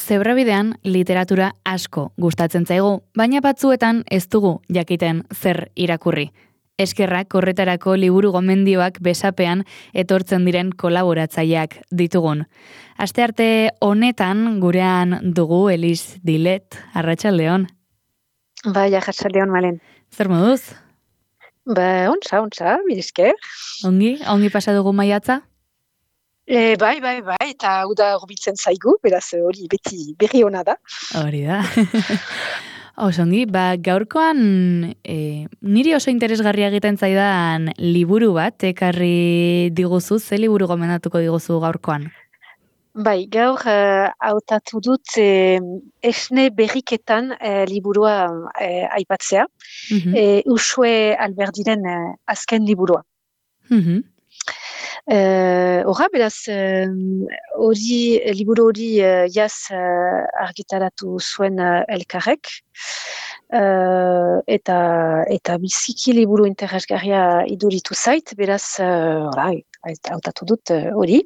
Zebrabidean literatura asko gustatzen zaigu, baina batzuetan ez dugu jakiten zer irakurri. Eskerrak horretarako liburu gomendioak besapean etortzen diren kolaboratzaileak ditugun. Astearte honetan gurean dugu Elis Dilet, arratsaldeon. Bai, arratsaldeon Malen. Zer moduz? Ontsa, mil esker. Ongi pasa dugu maiatza? Bai, eta hau da hurbiltzen zaigu, beraz hori beti berri ona da. Hori da. Osongi, gaurkoan niri oso interesgarria egiten zaidan liburu bat ekarri diguzu, ze liburu gomendatuko diguzu gaurkoan? Bai, gaur hautatu dut esne berriketan liburua aipatzea. Uxue Alberdiren azken liburua. Horra, beraz, liburu hori jaz argitaratu zuen elkarrek, eta biziki liburu interesgarria iduritu zait, beraz, hautatu dut hori.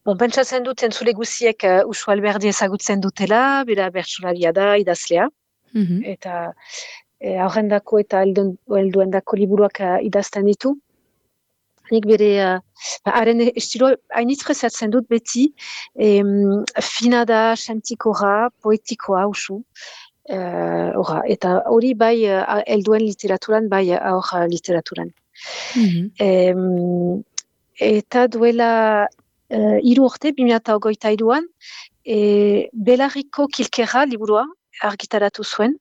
Pentsatzen dut entzule guziek Uxue Alberdi ezagutzen dutela, bera bertsolaria da, idazlea, eta aurrendako eta helduendako liburuak idazten ditu. Nik bere, haren estilo hainitz presatzen dut beti, fina da, sentikoa, poetikoa, usu. Eta hori bai helduen literaturan, bai aur literaturan. Eta duela 3 urte, 2023an, Belarriko Kilkerra liburua argitaratu zuen.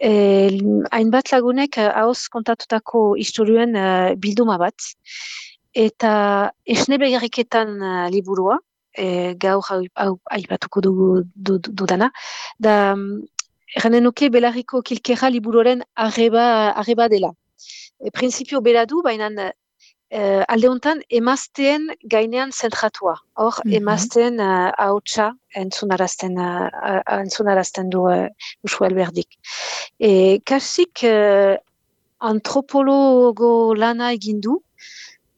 Hainbat lagunek ahoz kontatutako istorioen bilduma bat, eta esne berriketan liburua, gaur aipatuko dudana, da erranen nuke Belarriko Kilkerra liburuaren arreba dela. Printzipio bera du, baina alde hontan emazteen gainean zentratua. Hor, emazteen ahotsa entzunarazten du Uxue Alberdik. Kasik antropologo lana egin du,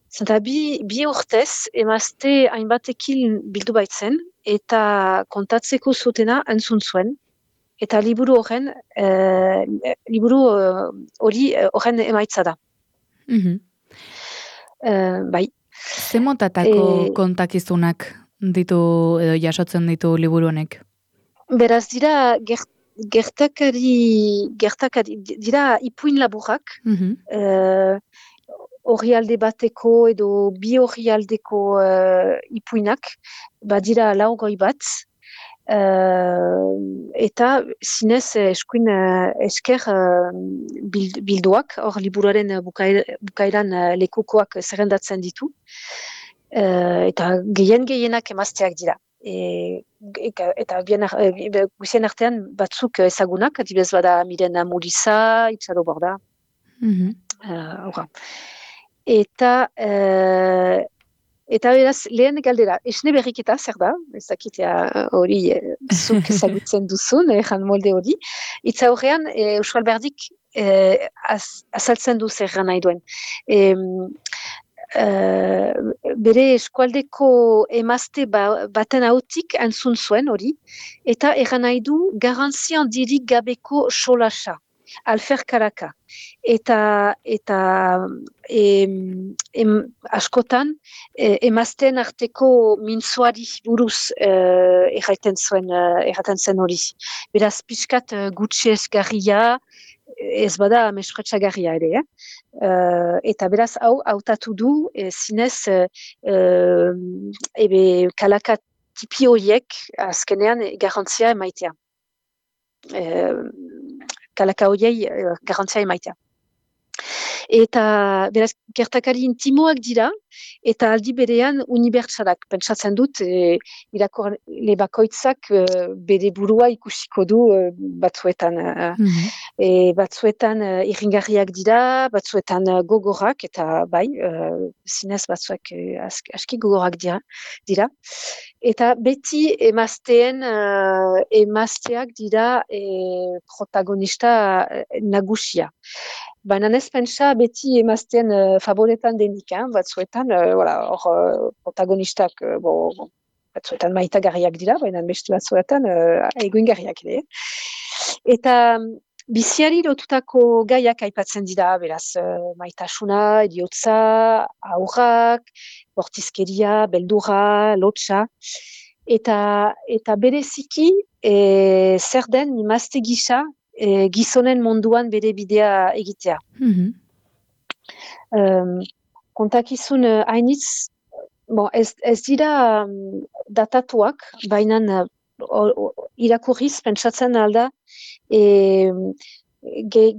zenta bi urtez emazte hainbatekin bildu baitzen, eta kontatzeko zutena entzun zuen, eta liburu hori horren emaitza da. Bai. Ze motatako kontakizunak ditu edo jasotzen ditu liburu honek? Beraz dira gertakari dira ipuin laburrak, orrialde bateko edo bi orrialdeko ipuinak, badira 40 bat, eta zinez eskuin esker bilduak, hor liburuaren bukaeran lekukoak zerrendatzen ditu, eta gehienak emazteak dira. Eta guzien artean batzuk ezagunak, adibidez bada Miren Amuriza, Itzaro Borda. Eta beraz, lehen galdera, esne berriketa zer da? Ez dakitea hori zuk ezagutzen duzun, jan molde hori. Itza horrean, Uxue Alberdik azaltzen du zer nahi duen. Bere eskualdeko emazte baten ahotik entzun zuen hori, eta erran nahi du garrantzi handirik gabeko solasa. Alfer Karaka. Eta askotan emazten arteko mintzoari buruz erraten zen hori. Beraz, pixkat gutxi esgarria, ez bada mespretsagarria ere. Eta beraz, hau hautatu du zinez kalaka tipi horiek azkenean garrantzia emaitea. Kalaka horiei garrantzia emaitea. Eta beraz, gertakari intimoak dira, eta aldi berean unibertsalak. Pentsatzen dut, irakurle bakoitzak bere burua ikusiko du batzuetan. Batzuetan irringarriak dira, batzuetan gogorak, eta bai, zinez batzuak aski gogorak dira. Eta beti emazteak dira protagonista nagusia. Baina ez pentsa beti emazten favoretan denik, batzuetan, protagonistak batzuetan maitagarriak dira, baina beste batzuetan egoingarriak ere. Eta biziari lotutako gaiak aipatzen dira, beraz, maitasuna, eriotza, aurrak, bortizkeria, beldurra, lotsa, eta bereziki zer den imazte gisa gizonen munduan bere bidea egitea. Kontakizun hainitz, ez dira datatuak, baina irakurriz pentsatzen alda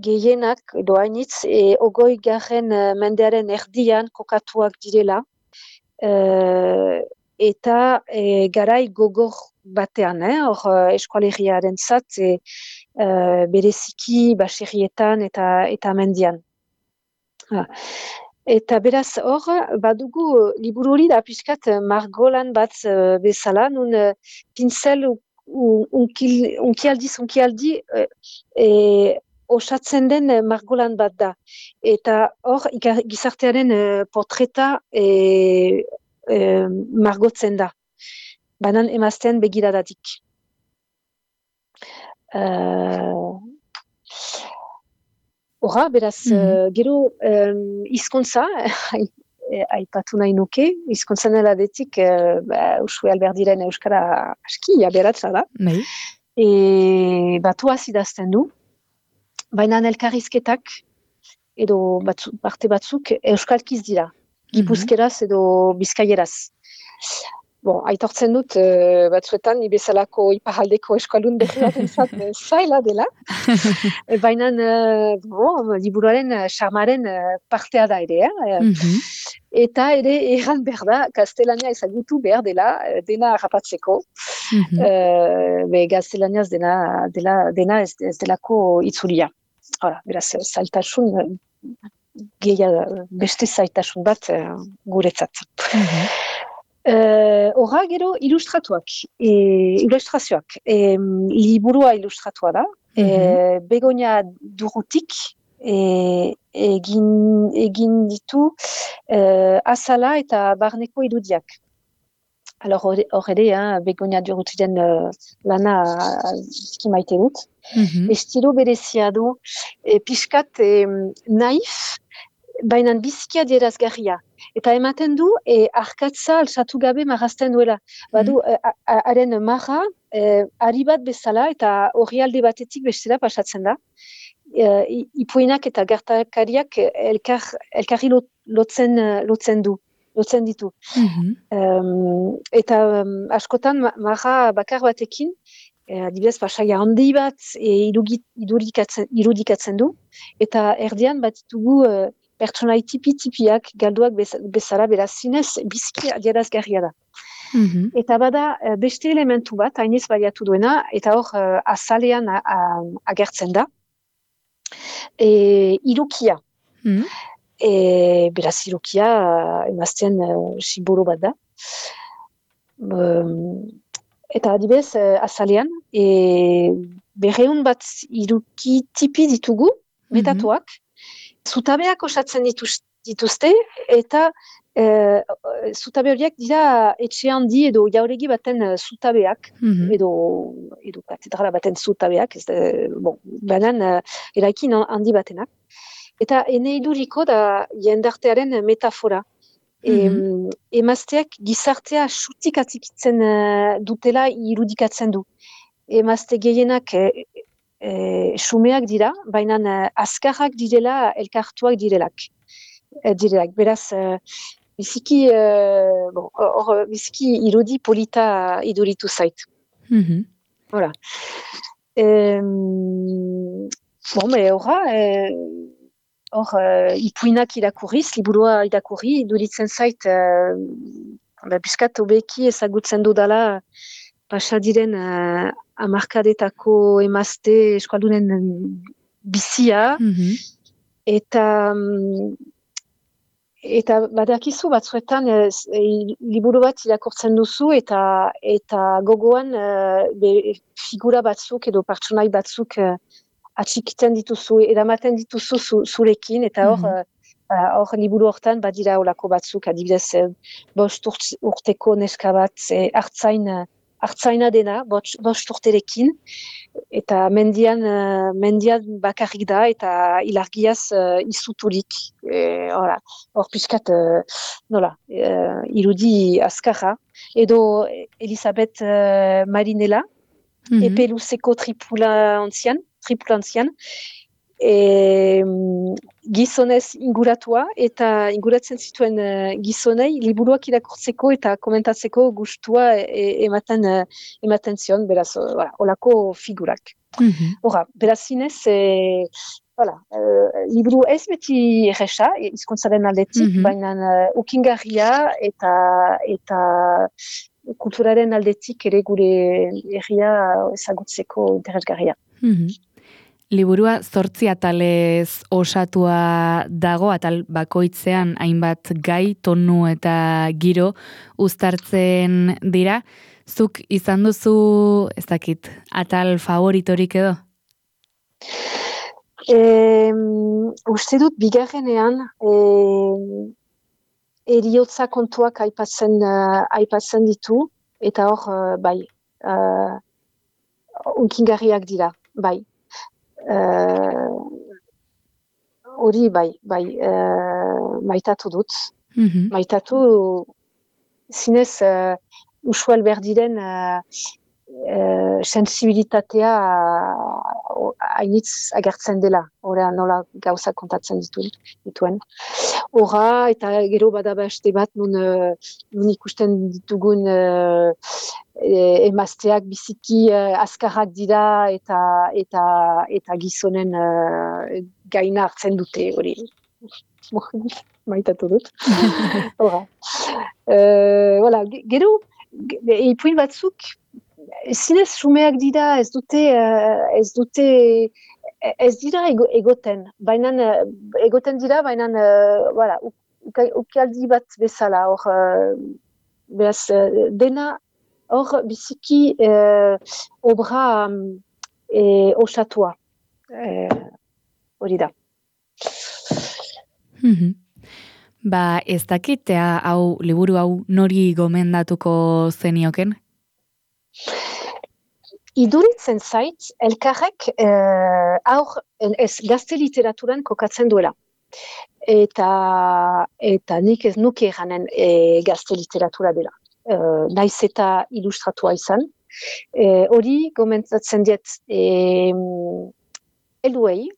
gehienak edo hainitz 20. Mendearen erdian kokatuak direla eta garai gogor batean, hor eskualeriaren zat bereziki baserrietan eta mendian. Eta beraz hor, badugu liburu hori da pixkat margolan bat bezala, nun pincel unkialdi osatzen den margolan bat da. Eta hor, gizartearen portreta margotzen da, banan emazten begiradatik. Horra, beraz, gero hizkuntza, aipatu nahi nuke, hizkuntzan eladetik Usue Alberdiren euskara aski aberatsa da. Batuaz idazten du, baina elkarrizketak edo parte batzuk euskalkiz dira, gipuzkeraz edo bizkaieraz. Aitortzen dut batzuetan bezalako iparraldeko eskaldun berri batentzat zaila dela, baina liburuaren charmaren partea da ere, eta ere erran behar da, gaztelania ezagutu behar dela dena harrapatzeko, gaztelaniaz dena ez delako itzulia. Beraz, zailtasun, beste zailtasun bat guretzat. Horra gero ilustrazioak. Liburua ilustratua da. Begoña Durrutik egin ditu azala eta barneko irudiak. Hor ere, Begoña Durrutiren lana maite dut. Estilo berezia du, pixkat naif, baina biziki adierazgarria. Eta ematen du, arkatza alsatu gabe marrazten duela. Badu, haren marra, ari bat bezala, eta horri alde batetik bestela pasatzen da. Ipuinak eta gertakariak elkarri lotzen ditu. Eta askotan marra bakar batekin, adibidez, pasaia handi bat irudikatzen du, eta erdian bat ditugu pertsonai tipi-tipiak galduak bezala, beraz zinez biziki adierazgarria da. Eta bada beste elementu bat, hainez baliatu duena, eta hor azalean agertzen da, irukia. Beraz irukia emazten simbolo bat da. Eta adibidez azalean, 200 bat iruki tipi ditugu, metatuak, zutabeak osatzen dituzte, eta zutabe horiek dira etxe handi edo jauregi baten zutabeak, edo katedrala baten zutabeak, banan eraikin handi batenak. Eta ene iduriko da jendartearen metafora. Emazteak gizartea xutik atzikitzen dutela irudikatzen du. Emazte gehienak xumeak dira, baina azkarrak direla, elkartuak direlak. Beraz, biziki irudi polita iduritu zait. Hola. Ipuinak irakurriz, liburua irakurri, iduritzen zait, biskat obeki ezagutzen dudala pasadiren hamarkadetako emazte eskualdunen bizia, eta badakizu batzuetan liburu bat irakurtzen duzu eta gogoan figura batzuk edo pertsonai batzuk atxikiten dituzu, eramaten dituzu zurekin, eta hor Hor liburu hortan badira olako batzuk, adibidez 5 urteko neska bat hartzaina dena, 5 urterekin, eta mendian bakarrik da, eta ilargiaz izuturik. Hor pixkat, irudi azkarra. Edo Elisabeth Marinella, epe luzeko tripulantzian, gizonez inguratua, eta inguratzen zituen gizonei liburuak irakurtzeko eta komentatzeko gustua ematen zion, beraz, olako figurak. Beraz zinez, liburu ez beti erresa, hizkuntzaren aldetik, baina ukingarria eta kulturaren aldetik ere gure herria ezagutzeko interesgarria. Liburua 8 atalez osatua dago, atal bakoitzean hainbat gai, tonu eta giro uztartzen dira. Zuk izan duzu, ez dakit, atal favoritorik edo? Uste dut bigarrenean eriotza kontuak aipatzen ditu, eta hor, unkingarriak dira, bai. Hori maitatu dut. Maitatu zinez Uxue Alberdiren sensibilitatea hainitz agertzen dela, nola gauza kontatzen dituen. Hora, eta gero bada beste bat, nun ikusten ditugun emazteak biziki azkarrak dira eta gizonen gaina hartzen dute, hori. Maitatu dut. Gero, ipuin batzuk, zinez sumeak dira, ez dira egoten, baina egoten dira, baina ukialdi bat bezala, beraz, dena hor biziki obra osatua, hori da. Ez dakitea liburu hau nori gomendatuko zenioken? Iduritzen zait, elkarrek gazte literaturan kokatzen duela. Eta nik ez nuke eranen gazte literatura dela. Naiz eta ilustratua izan. Hori gomendatzen diet helduei,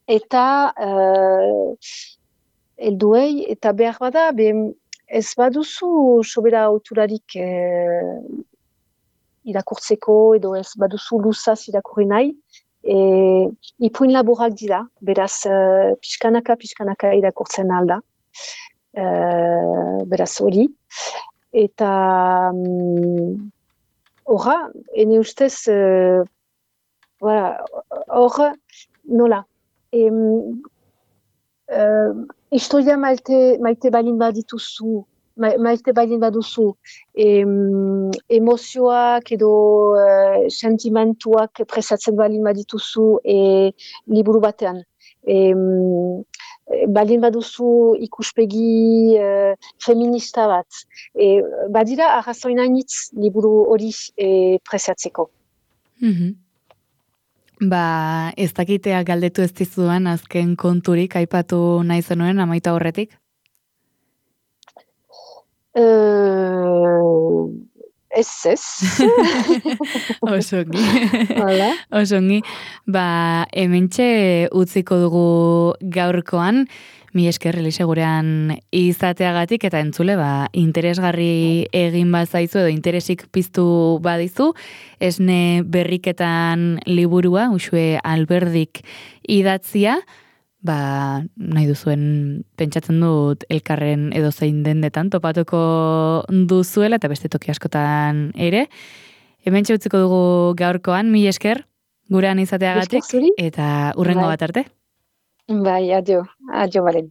eta behar bada, ez baduzu sobera auturarik irakurtzeko, edo ez baduzu luzaz irakurri nahi, ipuin laborak dira, beraz pixkanaka irakurtzen alda. Beraz hori. Eta horra, ene ustez, hor, nola, historia maite balin badituzu, maite balin baduzu, emozioak edo sentimentuak presatzen balin badituzu liburu batean. Balin baduzu ikuspegi feminista bat. Badira arrazoinainitz liburu hori presatzeko. Ez dakitea galdetu ez dizudan azken konturik aipatu nahi zenuen amaitu aurretik? Ez. Osongi. Osongi. Hementxe utziko dugu gaurkoan, mi esker Elise gurean izateagatik, eta entzule, interesgarri egin bazaizu edo interesik piztu badizu, esne berriketan liburua, Uxue Alberdik idatzia, nahi duzuen pentsatzen dut elkarren edo zein dendetan topatuko duzuela, eta beste toki askotan ere. Hementxe utziko dugu gaurkoan, mi esker gurean izateagatik, eta hurrengo bat arte. Bai, adio, Balen.